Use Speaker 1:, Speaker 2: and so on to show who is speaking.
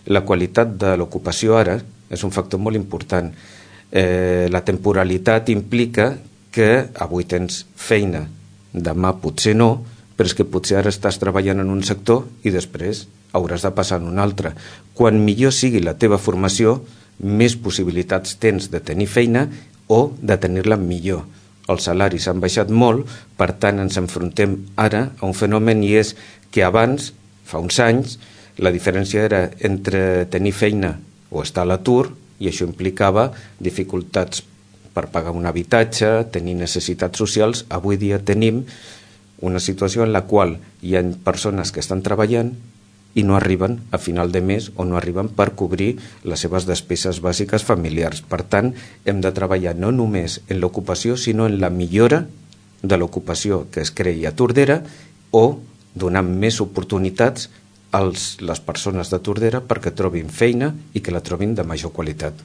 Speaker 1: La qualitat de l'ocupació ara és un factor molt important. La temporalitat implica que avui tens feina, demà potser no, però és que potser ara estàs treballant en un sector i després hauràs de passar en un altre. Quan millor sigui la teva formació, més possibilitats tens de tenir feina o de tenir-la millor. Els salaris han baixat molt, per tant ens enfrontem ara a un fenomen, i és que abans, fa uns anys, la diferència era entre tenir feina o estar a l'atur, i això implicava dificultats per pagar un habitatge, tenir necessitats socials. Avui dia tenim una situació en la qual hi ha persones que estan treballant i no arriben a final de mes o no arriben per cobrir les seves despeses bàsiques familiars. Per tant, hem de treballar no només en l'ocupació, sinó en la millora de l'ocupació que es creï a Tordera, o donar més oportunitats a les persones de Tordera perquè trobin feina i que la trobin de major qualitat.